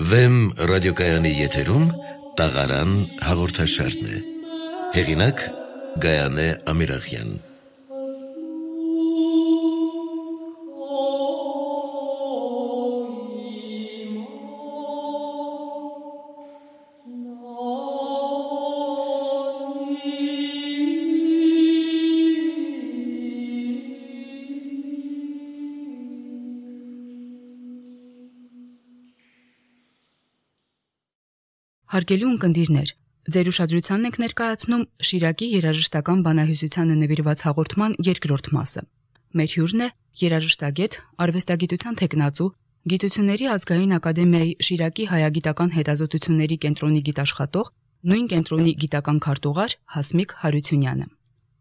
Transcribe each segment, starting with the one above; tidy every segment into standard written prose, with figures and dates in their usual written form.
Վեմ ռադիոկայանի եթերում տաղարան հաղորդաշարն է։ Հեղինակ Գայանե Ամիրախյան։ Հարգելի ունկնդիրներ, ձեր ուշադրությանն ենք ներկայացնում Շիրակի երաժշտական բանահյուսությանը նվիրված հաղորդման երկրորդ մասը։ Մեր հյուրն է երաժշտագետ, արվեստագիտության թեկնածու, Գիտությունների ազգային ակադեմիայի Շիրակի հայագիտական հետազոտությունների կենտրոնի գիտաշխատող, նույն կենտրոնի գիտական քարտուղար Հասմիկ Հարությունյանը։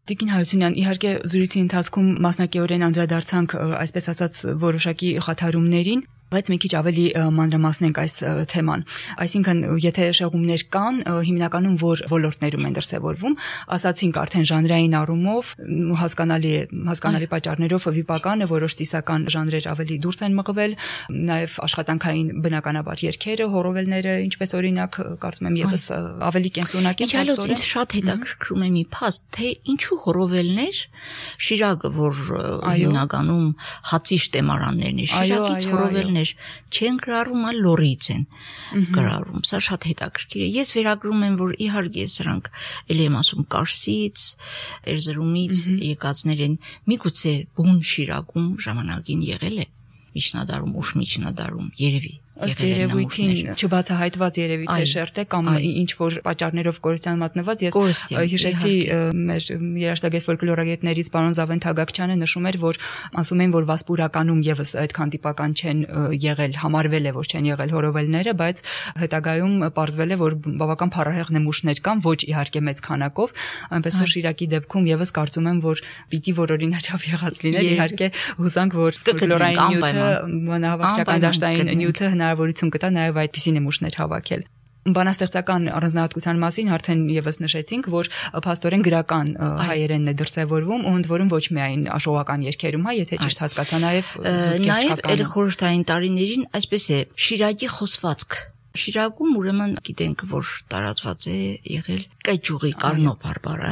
Տիկին Հարությունյան, իհարկե զրույցի ընթացքում մասնակիորեն անդրադարձանք, այսպես ասած, որոշակի խաթարումներին, բայց մի քիչ ավելի մանրամասնենք այս թեման։ Այսինքն, եթե շեղումներ կան, հիմնականում որ ոլորտներում են դրսևորվում, ասացինք արդեն ժանրային առումով, հասկանալի պատճառներով վիպական է, որոշ ծիսական ժանրեր ավելի դուրս են մղվել, նաև աշխատանքային բնականաբար երգերը, հոռովելները, ինչպես օրինակ, կարծում եմ եւս ավելի կենսունակ են։ Իհարկե, ինձ շատ հետաքրքրում է մի փաստ, թե ինչու հոռովելներ, Շիրակը, որ հիմնականում հացի շտեմարաններն է, Շիրակից հոռովելներ չեն գրառում, այլ լորից են գրառում։ Սա շատ հետաքրքիր է։ Ես վերագրում եմ, որ իհարկե սրանք ելի եմ ասում Կարսից, Էրզրումից եկածներ են, միգուցե բուն Շիրակում ժամանակին եղել է միջնադարում, ուշ միջնադարում, երևի ըստ երևույթին չբացահայտված երևի թե շերտ է կամ ինչ որ պատճառներով կորստյան մատնված։ Ես հիշեցի մեր երաժշտագետ ֆոլկլորագետներից պարոն Զավեն Թագակչյանը նշում էր, որ ասում են, որ Վասպուրականում եւս այդքան տիպական չեն եղել, համարվել է, որ չեն եղել հոռովելները, բայց հետագայում պարզվել է, որ բավական փառահեղ նմուշներ կան, ոչ իհարկե մեծ քանակով, այնպես որ Շիրակի դեպքում եւս կարծում եմ, որ պիտի որօրինաչափ եղած լինել, իհարկե հուսանք, որ ֆոլկլորային նյութը, բանահավաքչական դաշտային նյութը հնարավորություն կտա նաև այդպիսի նմուշներ հավաքել։ Բանաստեղծական առանձնահատկության մասին արդեն եւս նշեցինք, որ փաստորեն գրական հայերենն է դրսևորվում ու ընդ որում ոչ միայն աշխողական երգերում, եթե ճիշտ հասկացա, նաև այլ խորհրդային տարիներին այսպես է Շիրակի խոսվածք։ Շիրակում ուրեմն գիտենք, որ տարածված է եղել կայճուղի Կարնո բարբառը,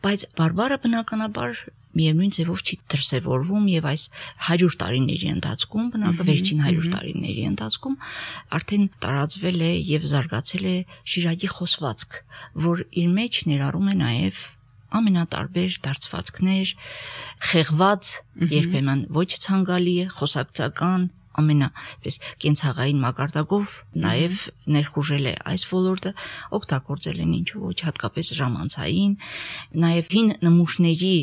բայց բարբառը բնականաբար միևնույն ձևով չի դրսևորվում եւ այս 100 տարիների ընթացքում, վերջին 100 տարիների ընթացքում արդեն տարածվել է եւ զարգացել է Շիրակի խոսվածք, որ իր մեջ ներառում է նաեւ ամենատարբեր դարձվածքներ, խեղված, երբեմն ոչ ցանկալի է, խոսակցական ամենապես կենցաղային մակարդակով նաև ներխուժել է այս ոլորտը, օգտագործել են ինչու ոչ հատկապես ժամանցային, նաև հին նմուշների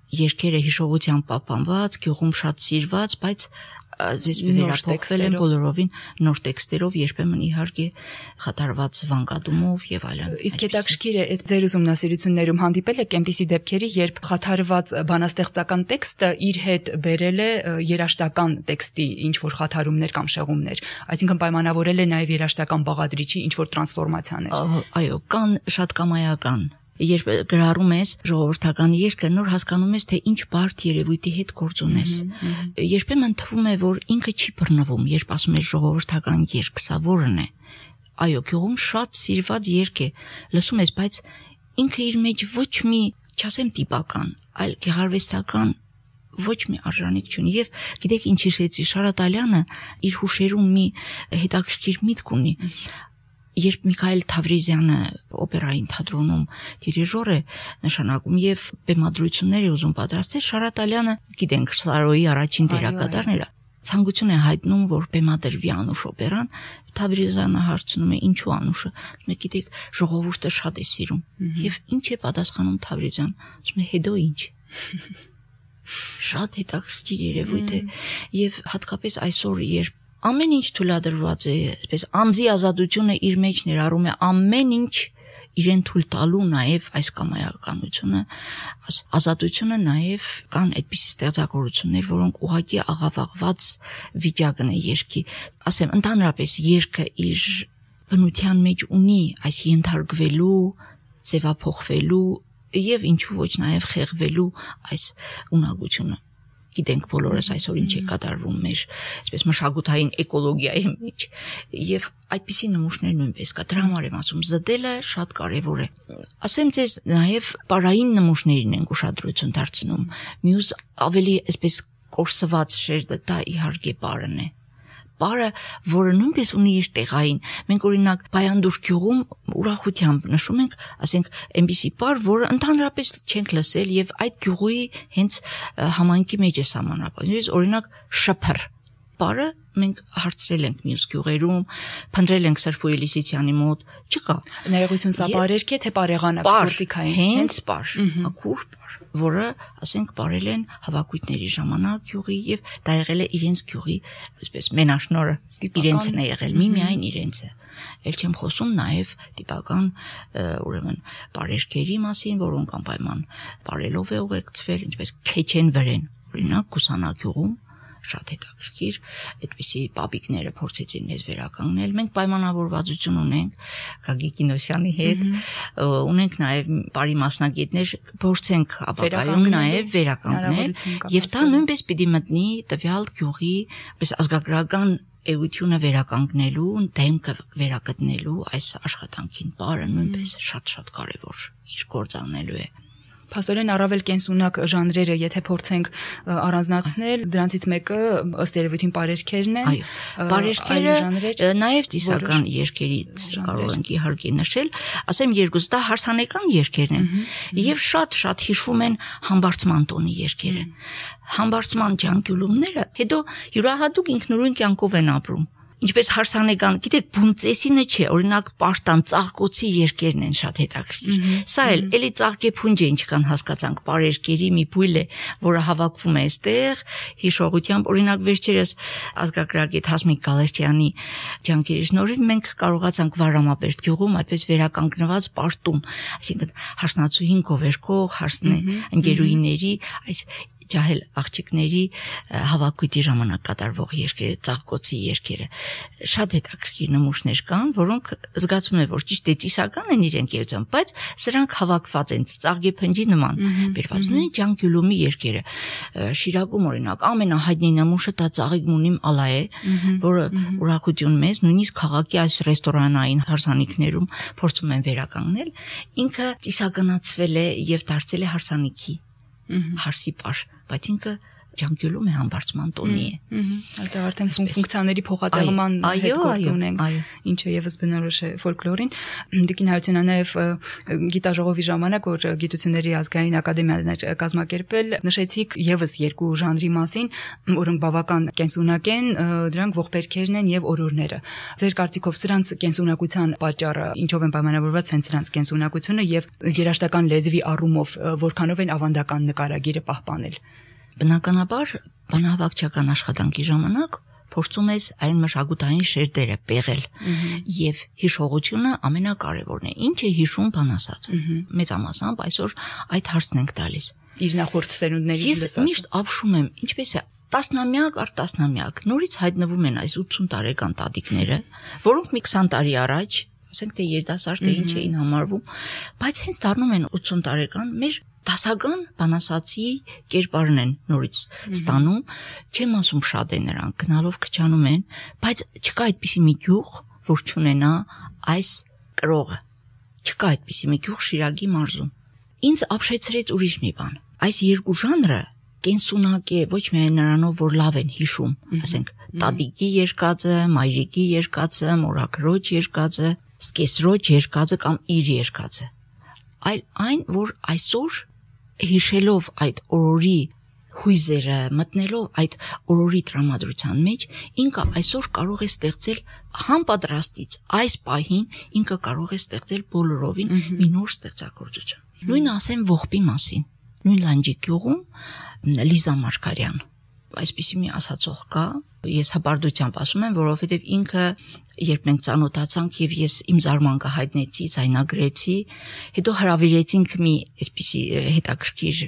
երգերը հիշողությամբ պահպանված, գյուղում շատ սիրված, բայց վերափոխվել են բոլորովին նոր տեքստերով, երբեմն իհարկե խաթարված վանկատումով եւ այլն։ Իսկ հետաքրքիր է, այդ ձեր ուսումնասիրություններում հանդիպել եք այնպիսի դեպքերի, երբ խաթարված բանաստեղծական տեքստը իր հետ բերել է երաժշտական տեքստի ինչ որ խաթարումներ կամ շեղումներ, այսինքն պայմանավորել է նաեւ երաժշտական բաղադրիչի ինչ որ տրանսֆորմացիաներ։ Այո, կան շատ կամայական։ Երբ գրառում ես ժողովրդական երգը, նոր հասկանում ես, թե ինչ բարդ երևույթի հետ գործ ունես։ Երբեմն թվում է, որ ինքը չի բռնվում, երբ ասում ես ժողովրդական երգ, սա որն է։ Այո, գյուղում շատ սիրված երգ է, լսում ես, բայց ինքը իր մեջ ոչ մի, չասեմ տիպական, այլ գեղարվեստական ոչ մի արժանիք չունի։ Եվ գիտեք ինչ հիշեցի, Շարատալյանը իր հուշերում մի հետաքրքիր միտք ունի։ Երբ Միքայել Թավրիզյանը օպերային թատրոնում դիրիժոր է նշանակում եւ բեմադրություններ է ուզում պատրաստել, Շարատալյանը, գիտենք, Սարոյի առաջին դերակատարն էր, ցանկություն է հայտնում, որ բեմադրվի Անուշ օպերան, Թավրիզյանը հարցնում է ինչու Անուշը, ասում է, գիտեք, ժողովուրդը շատ է սիրում։ Եվ ինչ է պատասխանում Թավրիզյան, ասում է, հետո ինչ։ Շատ հետաքրքիր երևույթ է եւ հատկապես այսօր, երբ ամեն ինչ թույլատրված է, այսպես անձի ազատությունը իր մեջ ներառում է ամեն ինչ իրեն թույլ տալու նաև այս կամայականությունը, ազատությունը նաև կան այդպիսի ստեղծագործություններ, որոնք ուղղակի աղավաղված վիճակն է երգի։ Ասեմ, ընդհանրապես երգը իր բնության մեջ ունի այս ենթարկվելու, ձևափոխվելու եւ ինչու ոչ նաև խեղվելու այս ունակությունը։ գիտենք բոլորս այսօր ինչ է կատարվում մեր այսպես մշակութային էկոլոգիայի մեջ եւ այդպիսի նմուշներ նույնպես կա դրա համար եմ ասում զդելը շատ կարեւոր է ասեմ ձեզ նաեւ պարային նմուշներին ենք ուշադրություն դարձնում մյուս ավելի այսպես կորսված շերտը դա իհարկե պարն է Բարը, որը նույնպես ունի իր տեղային, մենք օրինակ Բայանդուր գյուղում ուրախությամբ նշում ենք, ասենք, այնպիսի պար, որը ընդհանրապես չենք լսել եւ այդ գյուղի հենց համայնքի մեջ է սահմանափակված։ Օրինակ շփր պարը մենք հարցրել ենք մյուս գյուղերում, փնտրել ենք Սրբույի Լիսիցյանի մոտ, չկա։ Ներողություն, սա բարերք է թե բարեղանակ գործիքային, հենց պար, ակուր պար, որը, ասենք, բարել են հավաքույթների ժամանակ գյուղի եւ դա եղել է իրենց գյուղի, այսպես մենաշնորը, իրենցն է եղել, միայն իրենցը։ Էլ չեմ խոսում նաեւ տիպական, ուրեմն, բարերքերի մասին, որոնք անպայման բարելով է ուղեկցվել, ինչպես քեչեն վրեն, օրինակ Կուսանագյուղում շատ հետաքրքիր, այդպիսի պապիկները փորձեցին մեզ վերականգնել։ Մենք պայմանավորվածություն ունենք Գագիկ Կինոսյանի հետ, ունենք նաև բարի մասնագետներ, փորձենք ապագայում նաև վերականգնել, եւ դա նույնպես պիտի մտնի տվյալ գյուղի, պես ազգագրական էությունը վերականգնելու, դեմքը վերակտնելու այս աշխատանքին բարը նույնպես շատ կարևոր իր գործանելու է։ Փաստորեն առավել կենսունակ ժանրերը, եթե փորձենք առանձնացնել, դրանցից մեկը ըստ երևույթին բարերքերն են։ Այո, բարերքերը նաև ծիսական երգերից կարող ենք իհարկե նշել, ասեմ երկուսը դա հարսանեկան երգերն են եւ շատ հիշվում են համբարձման տոնի երգերը։ Համբարձման ջանկյուլումները հետո յուրահատուկ ինքնուրույն կյանքով են ապրում։ Ինչպես հարսանեկան, գիտեք, բունծեսինը չէ, օրինակ պարտան ծաղկոցի երկերն են շատ հետաքրքիր։ Սա էլի ծաղկե փունջ է ինչքան հասկացանք, բարերկերի մի բույլ է, որը հավաքվում է այստեղ, հիշողությամբ, օրինակ վերջերս ազգագրագետ Հասմիկ Գալստյանի ջանքերի շնորհիվ մենք կարողացանք Վարամապերտ գյուղում այդպես վերականգնված պարտում, այսինքն հարսնացուհին գովերքող, հարսնե ընկերուհիների այս ջահել աղջիկների հավաքույթի ժամանակ կատարվող երգերը, ծաղկոցի երգերը շատ հետաքրքիր նմուշներ կան, որոնք զգացում է, որ ճիշտ է ծիսական են իրենք երգում, բայց սրանք հավաքված են ծաղկի փնջի նման բերված։ Նույն ջանկյուլումի երգերը Շիրակում օրինակ ամենահայտնի նմուշը դա Ծաղիկ Մունիմ Ալա է, որը ուրախություն մեզ նույնիսկ քաղաքի այս ռեստորանային հարսանիքներում փորձում են վերականգնել, ինքը ծիսականացվել է եւ դարձել է հարսանիքի հարսի պար, բայց ինքը ջանկյուլում է համբարձման տոնի է։ Այդտեղ արդեն ֆունկցիաների փոխատեղման հետ գործ ունենք, ինչը եւս բնորոշ է ֆոլկլորին։ Տիկին Հարությունյանը նաեւ գիտաժողովի ժամանակ, որ Գիտությունների ազգային ակադեմիան էր կազմակերպել, նշեցիք եւս երկու ժանրի մասին, որոնք բավական կենսունակ են, դրանք ողբերքերն են եւ օրորները։ Ձեր կարծիքով սրանց կենսունակության պատճառը ինչով են պայմանավորված հենց սրանց կենսունակությունը եւ երաժշտական լեզվի առումով որքանով են ավանդական նկարագիրը պահպանել։ Բնականաբար բանահավաքչական աշխատանքի ժամանակ փորձում ես այն մշակութային շերտերը պեղել եւ հիշողությունը ամենակարևորն է։ Ինչ է հիշում բանասածը։ Մեծամասամբ այսօր այդ հարցն ենք տալիս։ Իր նախորդ սերունդներից լսած։ Ես միշտ ապշում եմ, ինչպես է տասնամյակ առ տասնամյակ նորից հայտնվում են այս 80 տարեկան տատիկները, որոնք մի 20 տարի առաջ, ասենք թե երիտասարդ թե ինչ էին համարվում, բայց հենց դառնում են 80 տարեկան մեր դասական բանասացի կերպարն են նորից ստանում, չեմ ասում շատ է նրանք, գնալով քչանում են, բայց չկա այդպիսի մի գյուղ, որ չունենա այս կրողը, չկա այդպիսի մի գյուղ Շիրակի մարզում։ Ինձ ապշեցրեց ուրիշ մի բան, այս երկու ժանրը կենսունակ է ոչ միայն նրանով, որ լավ են հիշում, ասենք տատիկի երկածը, մայրիկի երկածը, մորաքրոջ երկածը, սկեսրոջ երկածը կամ իր երկածը, այլ այն, որ այսօր հիշելով այդ օրորի հույզերը, մտնելով այդ օրորի տրամադրության մեջ, ինքը այսօր կարող է ստեղծել համապատրաստից այս պահին ինքը կարող է ստեղծել բոլորովին մի նոր ստեղծագործություն։ Նույնը ասեմ ողբի մասին։ Նույն Լանջի գյուղում Լիզա Մարգարյան այսպիսի մի ասացող կա, ես հպարտությամբ ասում եմ, որովհետև ինքը երբ մենք ծանոթացանք եւ ես իմ զարմանքը հայտնեցի, ցայնագրեցի, հետո հրավիրեցինք մի այսպիսի հետաքրքիր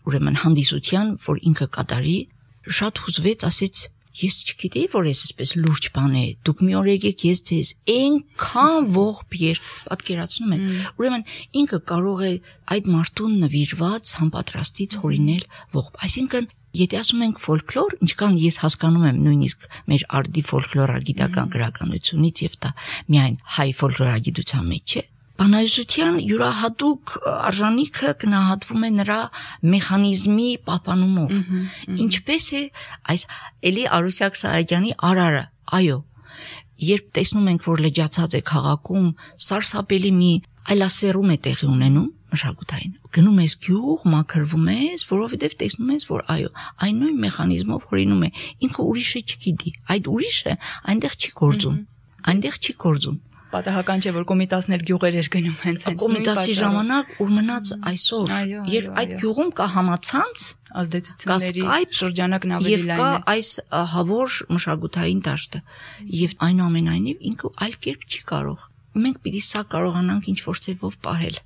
ուրեմն հանդիսության, որ ինքը կատարի, շատ հուզվեց, ասեց ես չգիտեի, որ ես այսպես լուրջ բան է, դուք մի օր եկեք ես ձեզ այնքան ողբ երբ պատկերացնում եմ, ուրեմն ինքը կարող է այդ մարդուն նվիրված համապատրաստից հորինել ողբ, այսինքն Եթե ասում ենք ֆոլկլոր, ինչքան ես հասկանում եմ նույնիսկ մեր արդի ֆոլկլորագիտական գրականությունից եւ դա միայն հայ ֆոլկլորագիտության մեջ չէ, բանահյուսության յուրահատուկ արժանիքը գնահատվում է նրա մեխանիզմի պահպանումով։ Ինչպես է այս Էլի Արուսյակ Սահակյանի արարը, այո, երբ տեսնում ենք, որ լճացած է քաղաքում, սարսափելի մի այլասերում է տեղի ունենում մշակութային։ Գնում ես գյուղ, մաքրվում ես, որովհետև տեսնում ես, որ այո, այն նույն մեխանիզմով հորինում է, ինքը ուրիշը չգիտի, այդ ուրիշը այնտեղ չի գործում։ Պատահական չէ, որ Կոմիտասն էլ գյուղեր էր գնում հենց Կոմիտասի ժամանակ ու մնաց այսօր, երբ այդ գյուղում կա համացանց, ազդեցությունների շրջանակն ավելի լայն է։ Եվ կա այս ահավոր մշակութային դաշտը, եւ այնուամենայնիվ ինքը այլ կերպ չի կարող։ Մենք պիտի սա կարողանանք ինչ-որ ձևով պահել։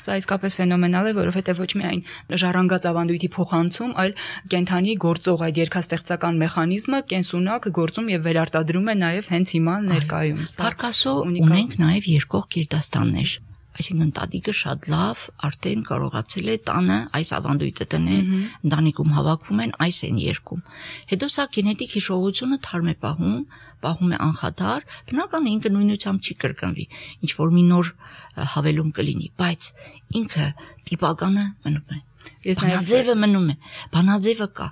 Սա իսկապես ֆենոմենալ է, որովհետև ոչ միայն ժառանգած ավանդույթի փոխանցում, այլ կենթանի գործող այդ երգաստեղծական մեխանիզմը կենսունակ գործում եւ վերարտադրում է նաեւ հենց հիմա ներկայում։ Փառքասո ունենք նաեւ երկող գերդաստաններ, այսինքն տատիկը շատ լավ արդեն կարողացել է տանը այս ավանդույթը դնել, ընտանիքում հավաքվում են, այս են երգում։ Հետո սա գենետիկ հիշողությունը թարմ է պահում է անխաթար, բնական է ինքը նույնությամբ չի կրկնվի, ինչ որ մի նոր հավելում կլինի, բայց ինքը տիպականը մնում է, բանաձևը մնում է, բանաձևը կա։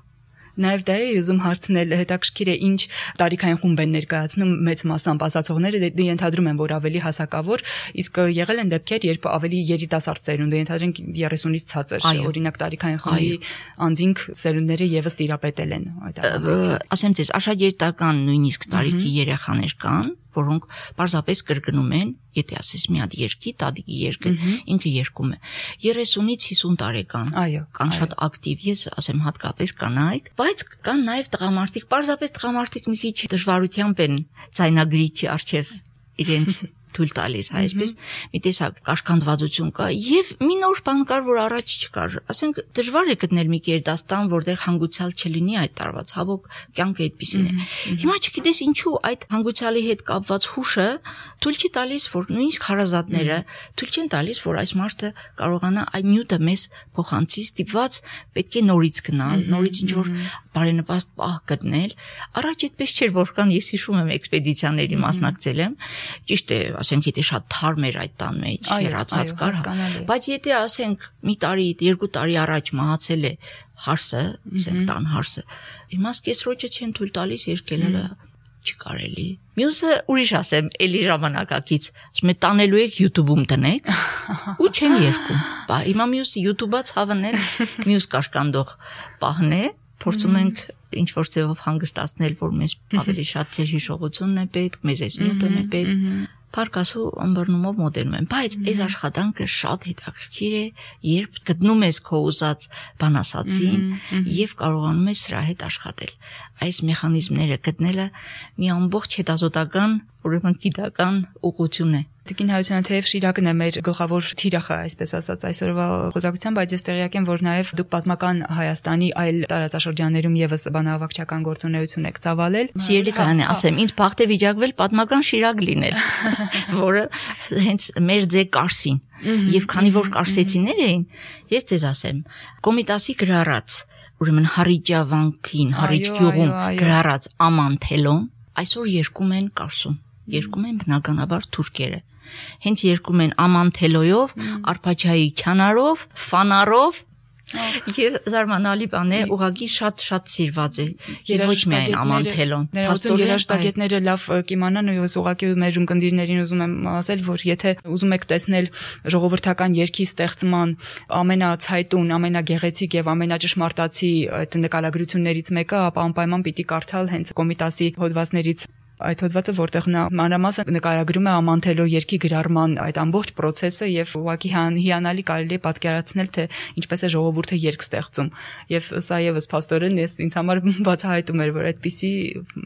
Նաև դա է ուզում հարցնել, հետաքրքիր է ինչ տարիքային խումբ են ներկայացնում մեծ մասամբ ասացողները, դե ենթադրում են, որ ավելի հասակավոր, իսկ եղել են դեպքեր, երբ ավելի երիտասարդ սերունդը, ենթադրենք 30-ից ցածր, օրինակ տարիքային խմբի անձինք սերունդները եւս տիրապետել են այդ ավանդույթը։ Ասեմ ձեզ, աշակերտական նույնիսկ տարիքի երեխաներ կան, որոնք պարզապես կրկնում են, եթե ասես մի հատ երկի, տատիկի երկը, ինքը երկում է 30-ից 50 տարեկան։ Կան շատ ակտիվ, ես ասեմ հատկապես կանայք, բայց կան նաև տղամարդիկ, պարզապես տղամարդիկ մի քիչ դժվարությամբ են ձայնագրիչի առջև իրենց թույլ տալիս, այսպես մի տեսակ կաշկանդվածություն կա եւ մի նոր բան կար, որ առաջ չկար։ Ասենք դժվար է գտնել մի գերդաստան, որտեղ հանգուցյալ չլինի այդ տարվա, ցավոք կյանքը այդպեսին է։ Հիմա չգիտես ինչու այդ հանգուցյալի հետ կապված հուշը թույլ չի տալիս, որ նույնիսկ հարազատները թույլ չեն տալիս, որ այս մարդը կարողանա այդ նյութը մեզ փոխանցի, ստիպված պետք է նորից գնալ, նորից ինչ որ բարենպաստ պահ գտնել։ Առաջ այդպես չէր, որքան ես հիշում եմ էքսպեդիցիաների մասնակցել եմ, ճիշտ է, ասենք եթե շատ թարմ էր այդ տան մեջ, հեռացած կար, բայց եթե ասենք մի տարի, 2 տարի առաջ մահացել է հարսը, ասենք տան հարսը, հիմա սկեսրոջը չեն թույլ տալիս երկելը չի կարելի։ Մյուսը ուրիշ ասեմ, էլի ժամանակակից, ասում է տանելու եք YouTube-ում տնեք ու չեն երկում։ Բա հիմա մյուսը YouTube-ից հավանել, մյուս կաշկանդող պահն է, փորձում ենք ինչ որ ձևով հանգստացնել, որ մեզ ավելի շատ ձեր հիշողությունն է պետք, մեզ այս նյութն է պետք։ Փառքասու ըմբռնումով մոտենում են, բայց այս աշխատանքը շատ հետաքրքիր է, երբ գտնում ես քո ուզած բանասացին եւ կարողանում ես սրա հետ աշխատել։ Այս մեխանիզմները գտնելը մի ամբողջ հետազոտական, ուրեմն գիտական ուղղություն է։ Տիկին Հայության թեև Շիրակն է մեր գլխավոր թիրախը, այսպես ասած, այսօրվա խոսակցությամբ, բայց ես տեղյակ եմ, որ նաև դուք պատմական Հայաստանի այլ տարածաշրջաններում եւս բանահավաքչական գործունեություն եք ծավալել։ Սիրելի կանե, ասեմ, ինձ բախտ է վիճակվել պատմական Շիրակ լինել, որը հենց մեր ձե Կարսին։ Եվ քանի որ կարսեցիներ էին, ես ձեզ ասեմ, Կոմիտասի գրառած, ուրեմն Հարիջավանքին, Հարիջ գյուղում գրառած Ամանթելոն այսօր երկում են Կարսում, երկում են բնականաբար թուրքերը։ Հենց երկում են Ամանթելոյով, Արփաչայի քյանարով, Ֆանարով եւ զարմանալի բան է, ուղղակի շատ սիրված է եւ ոչ միայն Ամանթելոն։ Փաստորեն երաժշտագետները լավ կիմանան ու ես ուղղակի մեր ընկերներին ուզում եմ ասել, որ եթե ուզում եք տեսնել ժողովրդական երգի ստեղծման ամենացայտուն, ամենագեղեցիկ եւ ամենաճշմարտացի այդ նկարագրություններից մեկը, ապա անպայման պիտի կարդալ հենց Կոմիտասի հոդվածներից այդ հոդվածը, որտեղ նա մանրամասն նկարագրում է Ամանթելո երգի գրառման այդ ամբողջ process-ը եւ ուղղակի հիանալի կարելի է պատկերացնել, թե ինչպես է ժողովուրդը երգ ստեղծում։ Եվ սա եւս փաստորեն ինձ համար բացահայտում էր, որ այդպիսի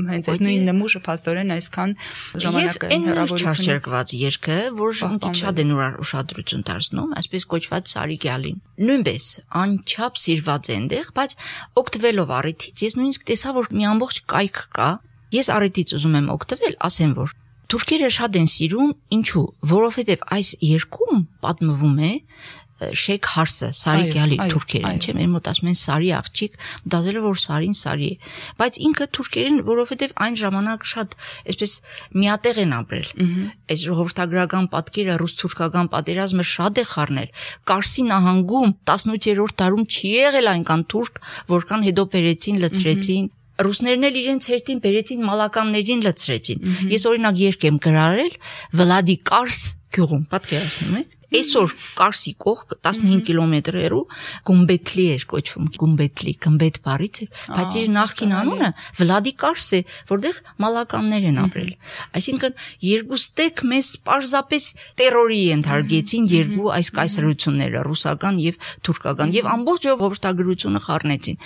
հենց այդ նույն նմուշը փաստորեն այսքան ժամանակային հեռավորությունից չերկված երգը, որ մի քիչ շատ են ուշադրություն դարձնում, այսպես կոչված Սարիգյալին։ Նույնպես անչափ սիրված է այնտեղ, բայց օգտվելով առիթից ես նույնիսկ տեսա, որ մի ամբողջ կայք կա։ Ես առիթից ուզում եմ օգտվել, ասեմ, որ Թուրքերը շատ են սիրում, ինչու, որովհետև այս երկում պատմվում է Շեյք Հարսը, Սարի գալի թուրքերեն, չէ՞, մեր մոտ ասում են Սարի աղջիկ, մտածել որ Սարին Սարի է, բայց ինքը թուրքերեն, որովհետև այն ժամանակ շատ այսպես միատեղ են ապրել։ Այս ժողովրդագրական պատկերը ռուս-թուրքական պատերազմը շատ է խառնել։ Կարսի նահանգում 18-րդ դարում չի եղել այնքան թուրք, որքան հետո բերեցին, լցրեցին։ Ռուսներն էլ իրենց հերթին բերեցին մալականներին լցրեցին։ Ես օրինակ երկ եմ գրարել Վլադիկարս գյուղում, պատկերացնում եք։ Այսօր Կարսի կողք 15 կիլոմետր հեռու Գումբեթլի էր կոչվում, Գումբեթլի, գմբեթ բառից էր, բայց իր նախկին անունը Վլադիկարս է, որտեղ մալականներ են ապրել։ Այսինքն երկուստեք մեզ պարզապես տերորի ենթարկեցին երկու այս կայսրությունները, ռուսական եւ թուրքական, եւ ամբողջ ժողովրդագրությունը խառնեցին։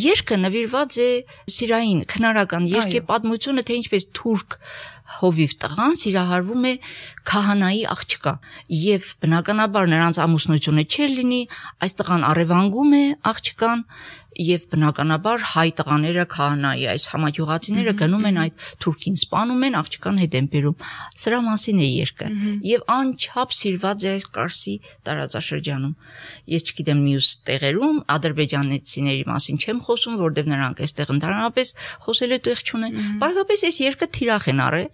Երգը նվիրված է սիրային, քնարական երգի պատմությունը, թե ինչպես թուրք հովիվ տղան սիրահարվում է քահանայի աղջկա եւ բնականաբար նրանց ամուսնությունը չէր լինի, այս տղան առևանգում է աղջկան եւ բնականաբար հայ տղաները քահանայի այս համաճյուղացիները գնում են այդ թուրքին սպանում են, աղջկան հետ են բերում։ Սրա մասին է երգը եւ անչափ սիրված է այս Կարսի տարածաշրջանում։ Ես չգիտեմ մյուս տեղերում ադրբեջանցիների մասին չեմ խոսում, որովհետեւ նրանք այստեղ ընդհանրապես խոսելու տեղ չունեն։ Պարզապես այս երգը թիրախ են առել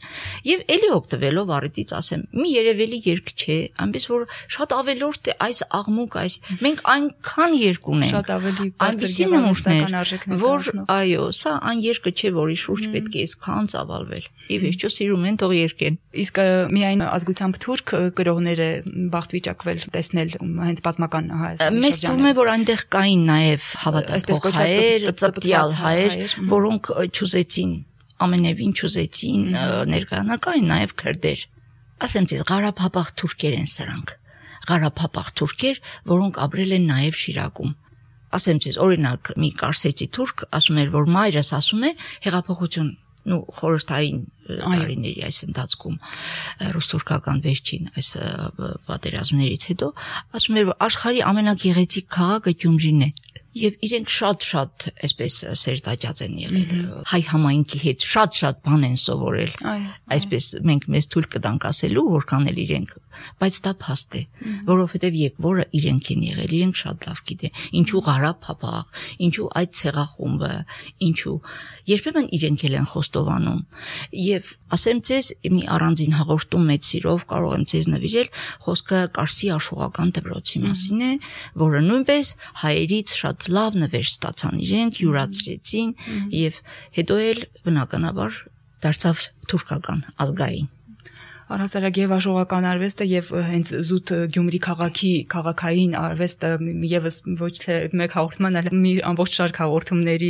եւ էլի օգտվելով առիթից ասեմ, մի երևելի երգ չէ, այնպես որ շատ ավելորդ է այս աղմուկ, այս մենք այնքան երգ ունենք։ Շատ ավելի բարձր որ այո, սա այն երկը չէ, որի շուրջ պետք է այսքան ծավալվել։ Ի վերջո սիրում են, թող երկեն։ Իսկ միայն ազգությամբ թուրք գրողները բախտ վիճակվել տեսնել հենց պատմական Հայաստանի շրջանում։ Մեզ թվում է, որ այնտեղ կային նաև հավատացող հայեր, ծպտյալ հայեր, որոնք չուզեցին, ամենևին չուզեցին ներկայանալ, կային նաև քրդեր։ Ասեմ ձեզ, Ղարաբաղ թուրքեր են սրանք։ Ղարաբաղ թուրքեր, որոնք ապրել են նաև Շիրակում։ Ասեմ ձեզ, օրինակ, մի կարսեցի թուրք ասում էր, որ մայրս ասում է հեղափոխություն, խորհրդային տարիների այս ընթացքում ռուս-թուրքական վերջին այս պատերազմներից հետո ասում էր, որ աշխարհի ամենագեղեցիկ քաղաքը Գյումրին է։ Եվ իրենք շատ այսպես սերտաճած են եղել հայ համայնքի հետ, շատ բան են սովորել։ Այսպես մենք մեզ թույլ կտանք ասելու, որքան էլ իրենք, բայց դա փաստ է, որովհետև եկվորը իրենք են եղել, իրենք շատ լավ գիտեն, ինչու Ղարաբաղ, ինչու այդ ցեղախումբը, ինչու երբեմն իրենք էլ են խոստովանում։ Եվ ասեմ ձեզ, մի առանձին հաղորդում մեծ սիրով կարող եմ ձեզ նվիրել, խոսքը Կարսի աշխուղական դպրոցի մասին է, որը նույնպես հայերից շատ լավ նվեր ստացան իրենք, յուրացրեցին եւ հետո էլ բնականաբար դարձավ թուրքական ազգային։ Առհասարակ եւ աշխուղական արվեստը եւ հենց զուտ Գյումրի քաղաքային արվեստը եւս ոչ թե մեկ հաղորդման, այլ մի ամբողջ շարք հաղորդումների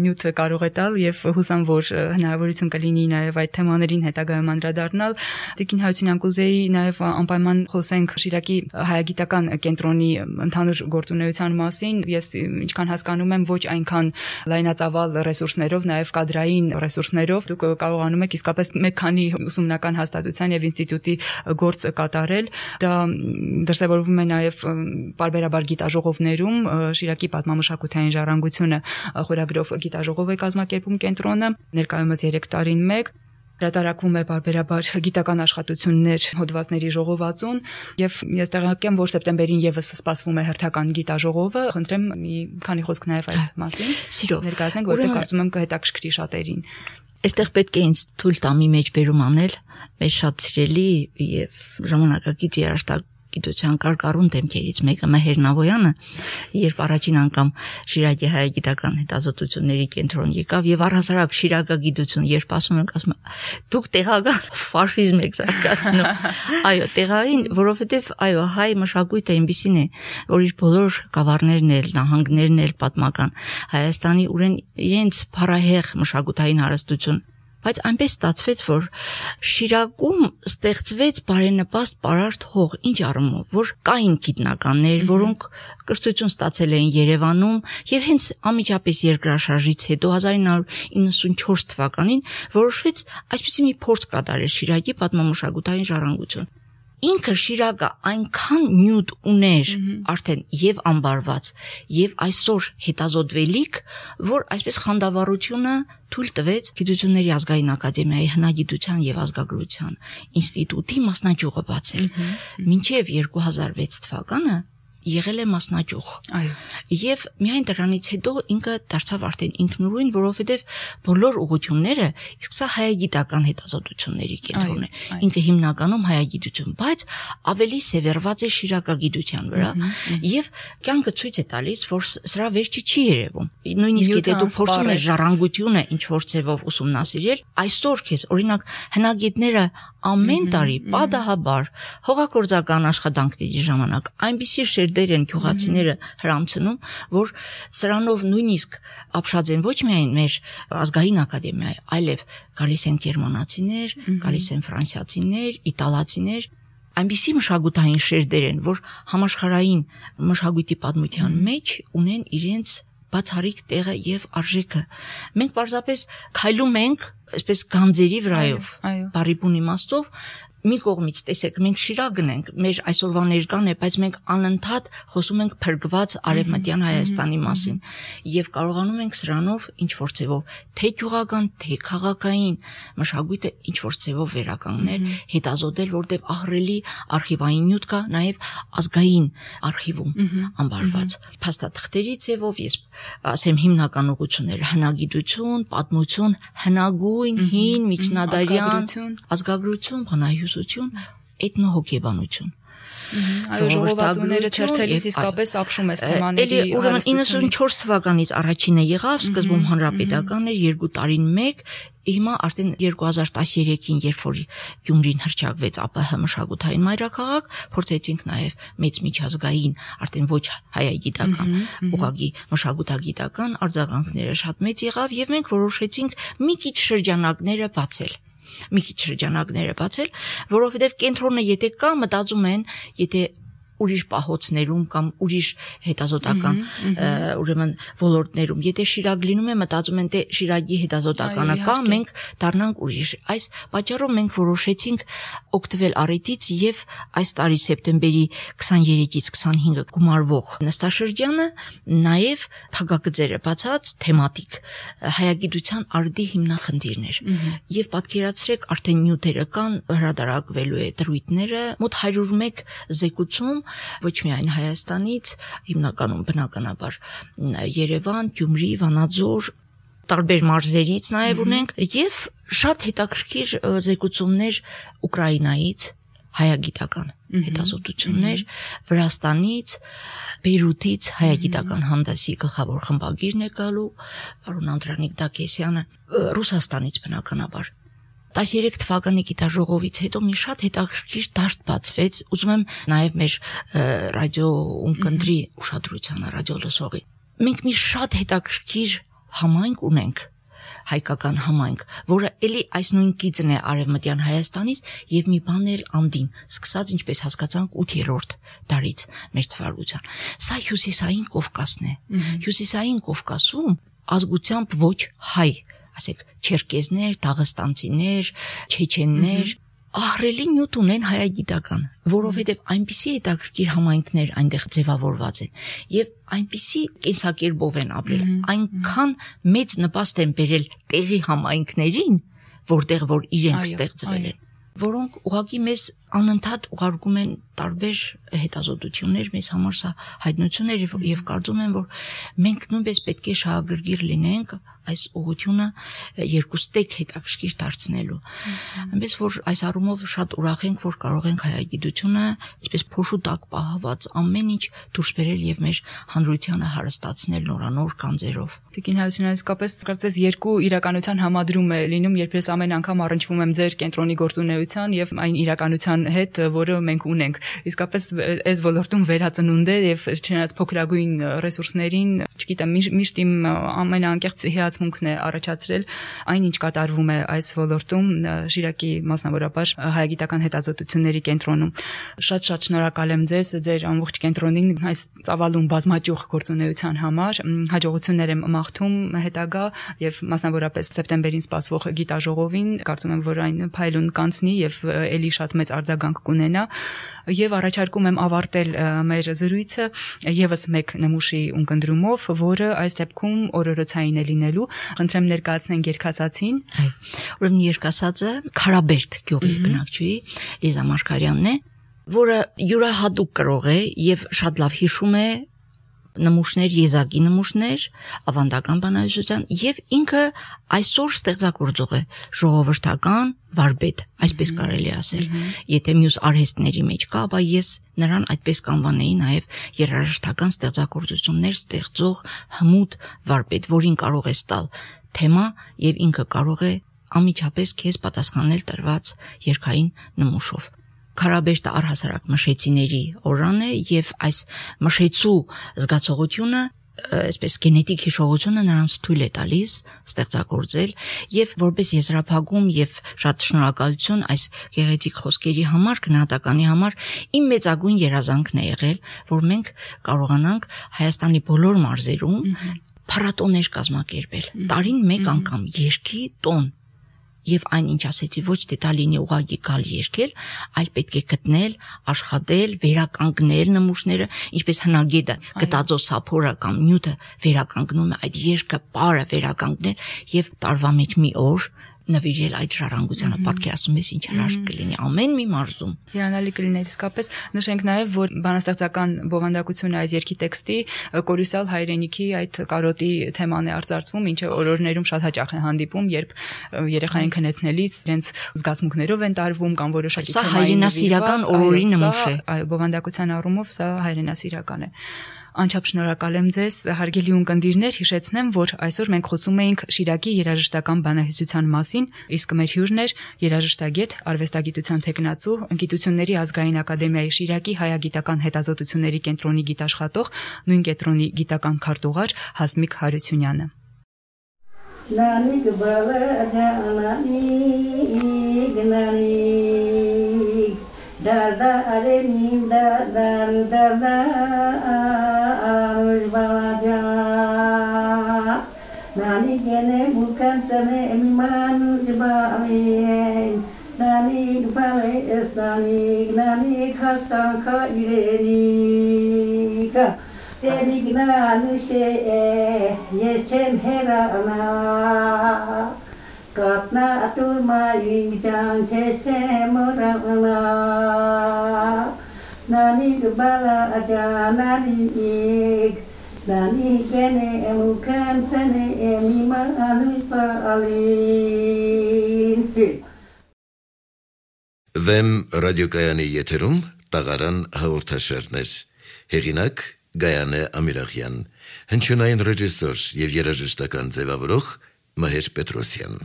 նյութը կարող է տալ եւ հուսամ, որ հնարավորություն կլինի նաեւ այդ թեմաներին հետագայում անդրադառնալ։ Տիկին Հարությունյան, կուզեի նաեւ անպայման խոսենք Շիրակի հայագիտական կենտրոնի ընդհանուր գործունեության մասին։ Ես ինչքան հասկանում եմ, ոչ այնքան լայնածավալ ռեսուրսներով, նաեւ կադրային ռեսուրսներով դուք կարողանում եք իսկապես մեկ քանի ուսումնական հաստատության եւ ինստիտուտի գործ կատարել։ Դա դրսևորվում է նաեւ բարբերաբար գիտաժողովներում, Շիրակի պատմամշակութային ժառանգությունը խորագրով գիտաժողով է կազմակերպում կենտրոնը, ներկայումս 3 տարին մեկ հրատարակվում է բարբերաբար գիտական աշխատություններ հոդվածների ժողովածուն եւ ես տեղակայեմ, որ սեպտեմբերին եւս սպասվում է հերթական գիտաժողովը։ Խնդրեմ մի քանի խոսք նաեւ այս մասին ներկայացնենք, որտեղ կարծում եմ կհետաքրքրի շատերին։ Այստեղ պետք է ինձ թույլ տա մի մեջբերում անել, մեզ շատ սիրելի եւ ժամանակակից երաժշտագիտության կարկառուն դեմքերից մեկը Մեհեր Նավոյանը, երբ առաջին անգամ Շիրակի հայագիտական հետազոտությունների կենտրոն եկավ եւ առհասարակ շիրակագիտություն, երբ ասում ենք, ասում դուք տեղական ֆաշիզմ եք զարգացնում։ Այո, տեղային, որովհետեւ այո, հայ մշակույթը այնպեսին է, որ իր բոլոր գավառներն էլ, նահանգներն էլ պատմական Հայաստանի իրենց փառահեղ մշակութային հարստություն, բայց այնպես ստացվեց, որ Շիրակում ստեղծվեց բարենպաստ պարարտ հող, ինչ առումով, որ կային գիտնականներ, որոնք կրթություն ստացել էին Երևանում եւ հենց անմիջապես երկրաշարժից հետո 1994 թվականին որոշվեց այսպիսի մի փորձ կատարել Շիրակի պատմամշակութային ժառանգություն։ ինքը Շիրակը այնքան նյութ ուներ արդեն եւ անբարված եւ այսօր հետազոտվելիք, որ այսպես խանդավառությունը թույլ տվեց Գիտությունների ազգային ակադեմիայի հնագիտության եւ ազգագրության ինստիտուտի մասնաճյուղը բացել։ Մինչեւ 2006 թվականը եղել է մասնաճյուղ։ Այո։ Եվ միայն դրանից հետո ինքը դարձավ արդեն ինքնուրույն, որովհետև բոլոր ուղղությունները, իսկ սա հայագիտական հետազոտությունների կենտրոնն է։ Ինքը հիմնականում հայագիտություն, բայց ավելի սևեռված է շիրակագիտության վրա, եւ կյանքը ցույց է տալիս, որ սրա վերջը չի երևում։ Նույնիսկ եթե դու փորձում ես ժառանգությունը ինչ որ ձևով ուսումնասիրել, այսօր քեզ օրինակ հնագետները ամեն տարի պատահաբար հողագործական աշխատանքների ժամանակ այնպիսի շերտեր են գյուղացիները հրամցնում, որ սրանով նույնիսկ ապշած են ոչ միայն մեր ազգային ակադեմիայի, այլև գալիս են գերմանացիներ, գալիս են ֆրանսիացիներ, իտալացիներ, այնպիսի մշակութային շերտեր են, որ համաշխարհային մշակույթի պատմության մեջ ունեն իրենց բացառիկ տեղը եւ արժեքը։ Մենք պարզապես քայլում ենք այսպես գանձերի վրայով, բարի բուն իմաստով, մի կողմից տեսեք, մենք Շիրակն ենք, մեր այսօրվա ներկան է, բայց մենք անընդհատ խոսում ենք փրկված արևմտյան Հայաստանի մասին եւ կարողանում ենք սրանով ինչ որ ձևով թե գյուղական, թե քաղաքային մշակույթը ինչ որ ձևով վերականգնել, հետազոտել, որտեղ ահռելի արխիվային նյութ կա, նաեւ ազգային արխիվում անբարված փաստաթղթերի ձևով, ես ասեմ հիմնական ուղղությունները հնագիտություն, պատմություն, հնագույն, հին, միջնադարյան, ազգագրություն, բանահյուսություն, էթնոհոգեբանություն։ Այո, ժողովածուները թերթելիս իսկապես ապշում է թեմաների հարստությունը։ 94 թվականից առաջինը եղավ, սկզբում հանրապետական էր 2 տարին մեկ, հիմա արդեն 2013-ին, երբ որ Գյումրին հռչակվեց ԱՊՀ մշակութային մայրաքաղաք, փորձեցինք նաև մեծ միջազգային, արդեն ոչ հայագիտական, ուղղակի մշակութագիտական արձագանքները շատ մեծ եղավ եւ մենք որոշեցինք մի քիչ շրջանակները բացել, որովհետև կենտրոնը եթե կա, մտածում են, եթե ուրիշ պահոցներում կամ ուրիշ հետազոտական ուրեմն ոլորտներում, եթե Շիրակ լինում է, մտածում են, թե Շիրակի հետազոտականը կա, մենք դառնանք ուրիշ։ Այս պատճառով մենք որոշեցինք օգտվել առիթից եւ այս տարի սեպտեմբերի 23-ից 25-ը գումարվող նստաշրջանը նաեւ փակագծերը բացած թեմատիկ հայագիտության արդի հիմնախնդիրներ։ Եվ պատկերացրեք, արդեն նյութերը կան, հրատարակվելու է դրույթները, մոտ 101 զեկուցում ոչ միայն Հայաստանից, հիմնականում բնականաբար Երևան, Գյումրի, Վանաձոր, տարբեր մարզերից նաև ունենք եւ շատ հետաքրքիր զեկուցումներ Ուկրաինայից, հայագիտական հետազոտություններ, Վրաստանից, Բեյրութից հայագիտական հանդեսի գլխավոր խմբագիրն է գալու, պարոն Անդրանիկ Դակեսյանը, Ռուսաստանից բնականաբար 13 թվականի գիտաժողովից հետո մի շատ հետաքրքիր դաշտ բացվեց, ուզում եմ նաև մեր ռադիո ունկնդրի ուշադրությանը, ռադիո լսողի։ Մենք մի շատ հետաքրքիր համայնք ունենք, հայկական համայնք, որը էլի այս նույն կիծն է արևմտյան Հայաստանից եւ մի բան էլ անդին, սկսած ինչպես հասկացանք 8-րդ դարից մեր թվարկության։ Սա հյուսիսային Կովկասն է։ Հյուսիսային Կովկասում ազգությամբ ոչ հայ, ասեք, չերկեզներ, դաղստանցիներ, չեչեններ, ահռելի նյութ ունեն հայագիտական, որովհետև այնպիսի հետաքրքիր համայնքներ այնտեղ ձևավորված են եւ այնպիսի կենսակերպով են ապրել, այնքան մեծ նպաստ են բերել տեղի համայնքներին, որտեղ որ իրենք ստեղծվել են, որոնք ուղղակի մեզ անընդհատ ուղարկում են տարբեր հետազոտություններ, մեզ համար սա հայտնություն է եւ կարծում եմ, որ մենք նույնպես պետք է շահագրգիռ լինենք այս ուղղությունը երկուստեք հետաքրքիր դարձնելու։ Այնպես որ այս առումով շատ ուրախ ենք, որ կարող ենք հայագիտությունը այսպես փոշու տակ պահված ամեն ինչ դուրս բերել եւ մեր հանրությանը հարստացնել նորանոր կանձերով։ Տիկին Հարությունյան, իսկապես կարծես երկու իրականության համադրում է լինում, երբ ես ամեն անգամ առնչվում եմ ձեր կենտրոնի գործունեության եւ այն իրականության հետ, որը մենք ունենք։ Իսկապես այս ոլորտում վերածնունդ է եւ չնայած փոքրագույն ռեսուրսներին, չգիտեմ, միշտ իմ ամենաանկեղծ հիացմունքն է առաջացրել այն, ինչ կատարվում է այս ոլորտում Շիրակի մասնավորապես հայագիտական հետազոտությունների կենտրոնում։ Շատ շնորհակալ եմ ձեզ, ձեր ամբողջ կենտրոնին այս ծավալուն բազմաճյուղ գործունեության համար։ Հաջողություններ եմ մաղթում հետագա եւ մասնավորապես սեպտեմբերին սպասվող գիտաժողովին։ Կարծում եմ, որ այն փայլուն կանցնի եւ ելի շատ մեծ արձագանք կունենա եւ առաջարկում եմ ավարտել մեր զրույցը եւս մեկ նմուշի ունկնդրումով, որը այս դեպքում օրորոցային է լինելու։ Խնդրեմ ներկայացնենք երգասացին։ Ուրեմն երգասածը Քարաբերդ գյուղի բնակչուհի Լիզա Մարգարյանն է, որը յուրահատուկ կրող է եւ շատ լավ հիշում է նմուշներ, եզակի նմուշներ, ավանդական բանահյուսության եւ ինքը այսօր ստեղծագործող է, ժողովրդական վարպետ, այսպես կարելի ասել։ Եթե մյուս արհեստների մեջ կա, ապա ես նրան այդպես կանվանեի նաեւ երաժշտական ստեղծագործություններ ստեղծող հմուտ վարպետ, որին կարող է տալ թեմա եւ ինքը կարող է անմիջապես քեզ պատասխանել տրված երգային նմուշով։ Քարաբերդը առհասարակ մշեցիների օրրան է եւ այս մշեցու զգացողությունը, այսպես գենետիկ հիշողությունը նրանց թույլ է տալիս ստեղծագործել եւ որպես եզրափակում եւ շատ շնորհակալություն այս գեղեցիկ խոսքերի համար, գնահատականի համար իմ մեծագույն երազանքն է եղել, որ մենք կարողանանք Հայաստանի բոլոր մարզերում փառատոներ կազմակերպել, տարին մեկ անգամ երգի տոն։ Եվ այն ինչ ասեցի, ոչ թե դա լինի ուղղակի գալ երգել, այլ պետք է գտնել, աշխատել, վերականգնել նմուշները, ինչպես հնագետը գտածո սափորը կամ նյութը վերականգնում է այդ երգը պարը վերականգնել եւ տարվա մեջ մի օր նվիրել այդ ժառանգությանը, պատկերացնում ես ինչ հրաշք կլինի ամեն մի մարզում։ Հիանալի կլիներ իսկապես։ Նշենք նաև, որ բանաստեղծական բովանդակությունը այս երգի տեքստի կորուսալ հայրենիքի այդ կարոտի թեման է արծարծվում, ինչը օրորներում շատ հաճախ է հանդիպում, երբ երեխային քնեցնելիս իրենց զգացմունքներով են տարվում կամ որոշակի թեմային։ Սա հայրենասիրական օրորի նմուշ է։ Այո, բովանդակության առումով սա հայրենասիրական է։ Անչափ շնորհակալ եմ ձեզ, հարգելի ունկնդիրներ, հիշեցնեմ, որ այսօր մենք խոսում էինք Շիրակի երաժշտական բանահյուսության մասին, իսկ մեր հյուրն էր երաժշտագետ, արվեստագիտության թեկնածու, Գիտությունների ազգային ակադեմիայի Շիրակի հայագիտական հետազոտությունների կենտրոնի գիտաշխատող, նույն կենտրոնի գիտական քարտուղար Հասմիկ Հարությունյանը։ Da da are mi da da balaja nani gene bukan sene man jbali nani bale esnani nani khasa kha ireni ka teri gnanu she yesem herana Katna turma injang chese morana nani bala aja nani ik nani gene emukan sene emima anu palin Վեմ ռադիոկայանի եթերում տաղարան հաղորդաշարներ հեղինակ Գայանե Ամիրախյան հնչյունային ռեժիսոր եւ երաժշտական ձևավորող Մհեր Պետրոսյան